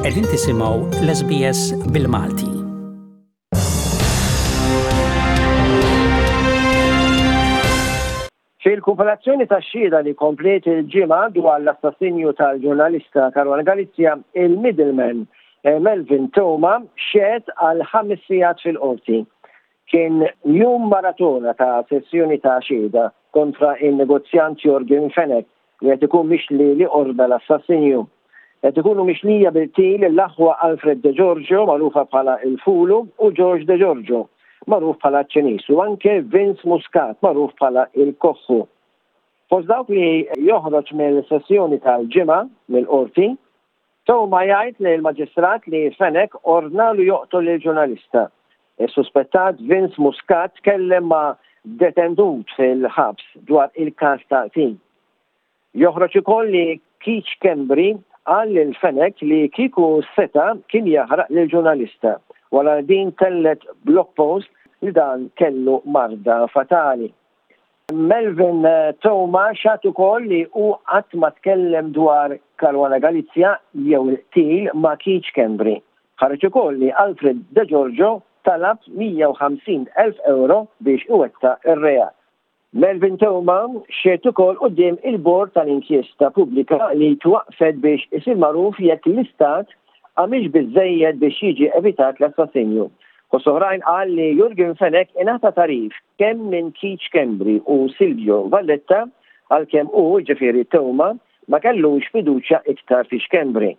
Qegħdin tisimgħu l-SBS bil-Malti. Fil-kumpilazzjoni tax-xhieda li kompliet il-Ġimgħa dwar l-assassinju tal-ġurnalista Caruana Galizia, il-middleman eh, Melvin Theuma xehed għal ħames sigħat fil-qorti. Kien jum maratona ta' sessjoni ta' xhieda kontra in-negozjant Yorgen Fenech li qed ikun mixli li ordna l-assassinju. Qed ikunu mixlija bil-qtil l-aħwa Alfred De Giorgio, magħrufa bħala il-Fulu, u George De Giorgio, magħruf bħala ċ-Ċiniż, u anke Vince Muscat, magħruf bħala il-Koħħu. Fost dawk li joħroġ mill-sessjoni tal-Ġimgħa mill-Qorti, Theuma jgħid lill-Maġistrat li Fenech ordnalu joqtol lill-ġurnalista. Is-suspettat Vince Muscat tkellem ma' detenut fil-ħabs dwar il-każ ta' qtil. Joħroġ ukoll li Keith Schembri qal lil Fenech li kieku seta' kien jaħraq lill-ġurnalista wara li din tellgħet blog post li dan kellu marda fatali. Melvin Theuma xahad ukoll li hu qatt ma tkellem dwar Caruana Galizia jew il-qtil ma' Keith Schembri. Ħareġ ukoll li Alfred Degiorgio talab 150 elf ewro biex iwettaq ir-reat. Melvin Theuma xehed ukoll quddiem il-Bord tal-Inkjesta Pubblika li twaqqfet biex isir magħruf jekk l-Istat għamilx biżżejjed biex jiġi evitat l-assassinju. Fost oħrajn qal li Yorgen Fenech ingħata tagħrif kemm minn Keith Schembri u Silvio Valletta għalkemm hu, jiġifieri Theuma, ma kellux fiduċja iktar fi Schembri.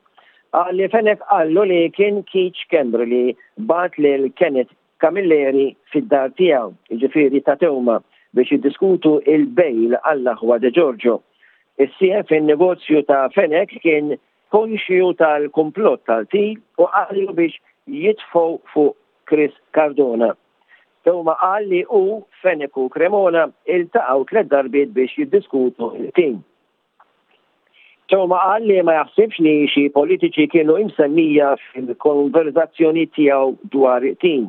Qal li Fenech qallu li kien Keith Schembri li bagħat lil Kenneth Camilleri fid-dar tiegħu, jiġifieri ta' Theuma, biex jiddiskutu il-bail għall-aħwa De Giorgio. Is-sieħeb fin-negozju ta' Fenech kien konxju tal-kumplott tal-qtil u qallu biex jitfgħu fuq Chris Cardona. Theuma qal li hu, Fenech u Cremona iltaqgħu tlett darbiet biex jiddiskutu l-qtil. Theuma qal li ma jaħsibx li xi politiċi kienu imsemmija fil-konverżazzjonijiet tiegħu dwar il-qtil.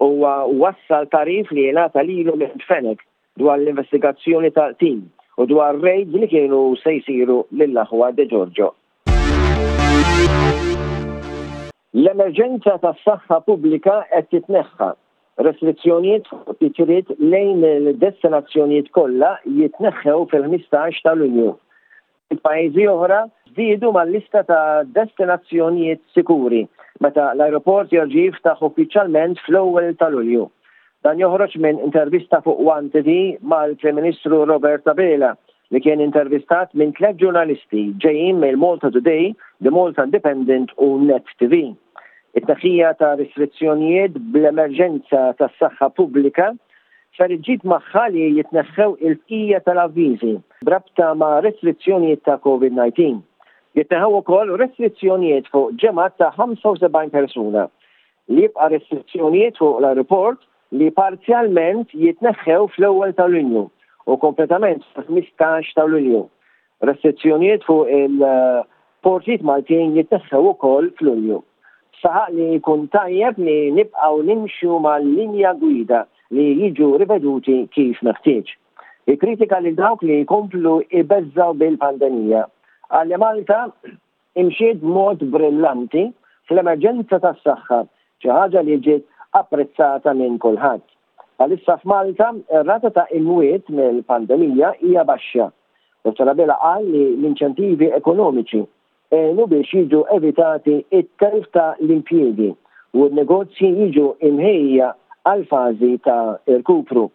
Huwa wassal tagħrif li ngħata lilu minn Fenech dwar l-investigazzjoni tal-qtil u dwar raids li kienu se jsiru lill-aħwa De Giorgio. L-emerġenza tas-saħħa pubblika qed titneħħa. Restrizzjonijiet fuq titjiriet lejn il-destinazzjonijiet kollha jitneħħew fil-15 ta' Lulju. Pajjiżi oħra żdiedu mal-lista ta' destinazzjonijiet sikuri meta l-ajruport jerġa' jiftaħ uffiċjalment fl-ewwel ta' Lulju. Dan joħroġ minn intervista fuq One TV mal-Prim Ministru Robert Abela li kien intervistat minn tlett ġurnalisti ġejjin mill-Malta Today, The Malta Independent u Net TV. It-tneħħija ta' restrizzjonijiet bl-emerġenza tas-saħħa pubblika ser iġġib magħha li jitneħħew il-bqija tal-avviżi b'rabta ma' restrizzjonijiet ta' Covid-19. Jitneħħew ukoll restrizzjonijiet fuq ġemgħat ta' 75 persuna. Li jibqa' restrizzjonijiet fuq l-ajruport li parzjalment jitneħħew fl-ewwel ta' Lulju u kompletament fil-15 ta' Lulju. Restrizzjonijiet fuq il-portijiet Maltin jitneħħew ukoll f'Lulju. Saħaq li jkun tajjeb li nibqgħu nimxu mal-linja gwida li jiġu riveduti kif meħtieġ. Ikkritika lil dawk li jkomplu jbeżżgħu bil-pandemija. Qal li Malta imxiet b'mod brillanti fl-emerġenza tas-saħħa, xi ħaġa li ġiet apprezzata minn kulħadd. Bħalissa f'Malta, ir-rata ta' imwiet mill-pandemija hija baxxa. Dottor Abela qal li l-inċentivi ekonomiċi għenu biex jiġu evitati t-telf ta' l-impjiegi u n-negozji jiġu imħejjija għall-fażi ta' irkupru.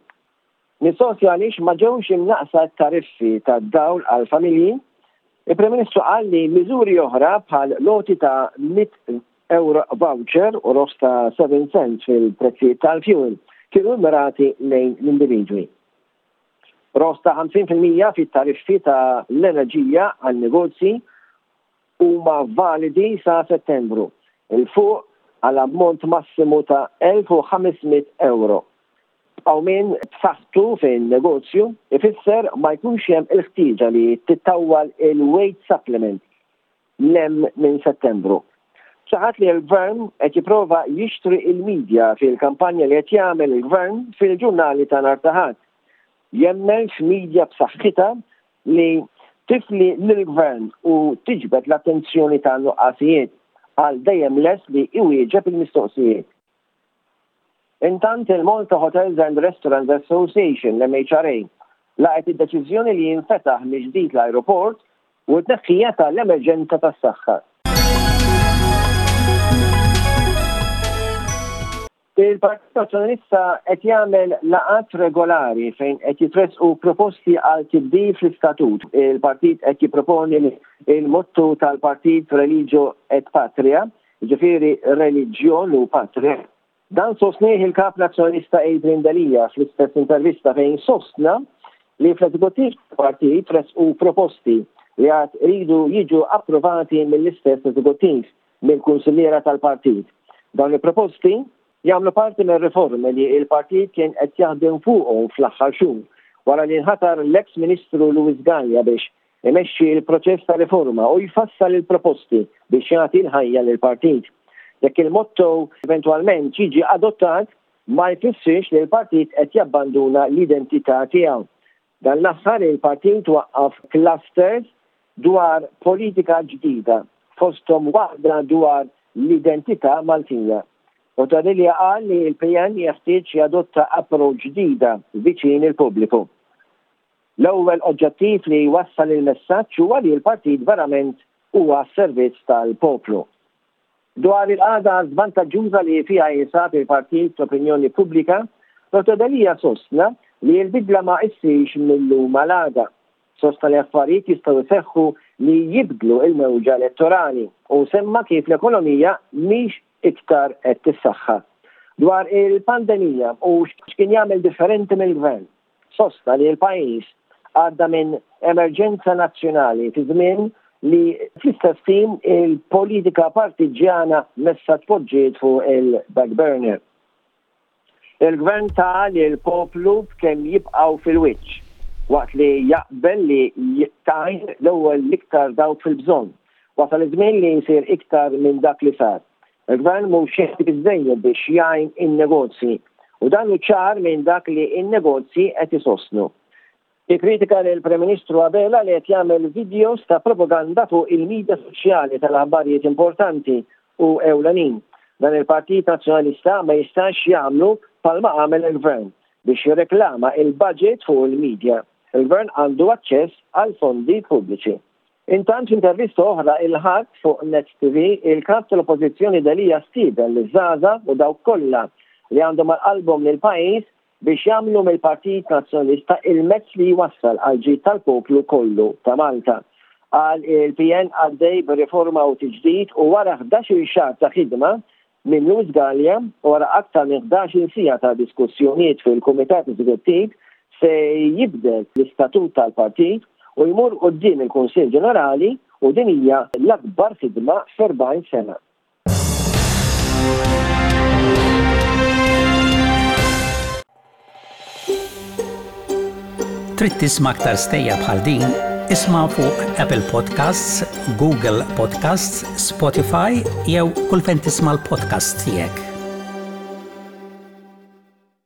Mistoqsi għaliex ma ġewx imnaqqsa t-tariffi tad-dawl għall-familji, il-Prim Ministru qal li miżuri oħra bħal l-għoti ta' 100 ewro voucher u roħs ta' 7 cents fil-prezzijiet tal-fuel kienu mmirati lejn l-individwi. Roħs ta' 50% fit-tariffi ta' l-enerġija għan-negozji huma validi sa Settembru 'l fuq għal ammont massimu ta' 1,500 ewro. Qawmien b'saħħtu fin-negozju ifisser ma jkunx hemm il-ħtieġa li tittawwal il-wage supplement 'l hemm minn Settembru. Saħaq li l-Gvern qed jipprova jixtri l-media fil-kampanja li qed jagħmel il-Gvern fil-ġurnali ta' nhar ta' Ħadd. Jemmen f'media b'saħħitha li tifli lill-Gvern u tiġbed l-attenzjoni ta' nuqqasijiet. Qal dejjem lest li iwieġeb il-mistoqsijiet. Intant il-Malta Hotels and Restaurants Association, l-MHRA, laqgħet id-deċiżjoni li jinfetaħ mill-ġdid l-ajruport u t-tneħħija tal-emerġenza tas-saħħa. Il-Partit Nazzjonalista qed jagħmel laqgħat regolari fejn qed jitressqu proposti għal tibdil fl-istatut. Il-partit qed jipproponi li l-motto tal-partit Religio et Patria, jiġifieri reliġjon u patrija. Dan sostnieh il-Kap Nazzjonalista Adrian Delia fl-istess intervista fejn sostna li fl-eżekuttiv tal-partit tressqu proposti li għad iridu jiġu approvati mill-istess eżekuttiv. mill-kunsilliera tal-partit. Dawn il-proposti jagħmlu parti mir-riformi li l-partit kien qed jaħdem fuqhom fl-aħħar xhur wara li nħatar l-eks Ministru Louis Galea biex imexxi l-proċess ta' riforma u jfassal il-proposti biex jagħti l-ħajja lill-partit. Jekk il-motto eventwalment jiġi adottat, ma jfissirx li l-partit qed jabbanduna l-identità tiegħu. Dan l-aħħar il-partit waqqaf clusters dwar politika ġdida, fosthom waħda dwar l-identità Maltija. Dottor Delia qal li l-PN jeħtieġ jadotta approach ġdida viċin il-pubbliku. L-ewwel oġġettiv li jwassal il-messaġġ huwa li l-partit verament huwa għas-servizz tal-poplu. Dwar il-qagħda żvantaġġuża li fiha jinsab il-partit fl-opinjoni pubblika, Dottor Delia sostna li l-bidla ma issirx mil-lum għal għada. Sostna li affarijiet jistgħu jseħħu li jibdlu l-mewġa elettorali u semma kif l-ekonomija mhix iktar qed tissaħħa. Dwar il-pandemija u x'kien jagħmel differenti mill-Gvern, Sostna li l-pajjiż għadda minn emerġenza nazzjonali fi żmien li fl-istess ħin il-politika partiġġjana messha tpoġġiet fuq il-back burner. Il-Gvern ta lill-poplu b'kemm jibqgħu fil-wiċċ, waqt li jaqbel li tgħin l-ewwel l-iktar dawk fil-bżonn. Wasal iż-żmien li jsir iktar minn dak li sar. Il-Gvern mhux jagħti biżżejjed biex jgħin in-negozji u dan hu ċar minn dak li n-negozji qed isostnu. Ikkritika lill-Prim Ministru Abela li qed jagħmel videos ta' propaganda fuq il-media soċjali tal-aħbarijiet importanti u ewlenin. Dan il-Partit Nazzjonalista ma jistax jagħmlu bħalma għamel il-Gvern biex jirreklama il-budget fuq il-media. Il-Gvern għandu aċċess għall-fondi pubbliċi. Intant f'intervista oħra il-Ħadd fuq Net TV, il-Kap tal-Oppożizzjoni Delia stieden liż-żgħażagħ u dawk kollha li għandhom għal qalbhom lill-pajjiż biex jagħmlu mill-Partit Nazzjonalista il-mezz li jwassal għall-ġid tal-poplu kollu ta' Malta. Qal il-PN għaddej b'riforma u tiġdid u wara ħdax-il xahar ta' ħidma minn Louis Galea wara aktar minn 11-il siegħa ta' diskussjonijiet fil-Kumitat Eżekuttiv se jibdel l-istatut tal-partit u jmur quddiem il-Kunsill Ġenerali u din hija l-akbar ħidma f'40 sena. Trid tisma' aktar stejjer bħal din? Isma' fuq Apple Podcasts, Google Podcasts, Spotify jew kull fejn tisma' l-podcasts tiegħek.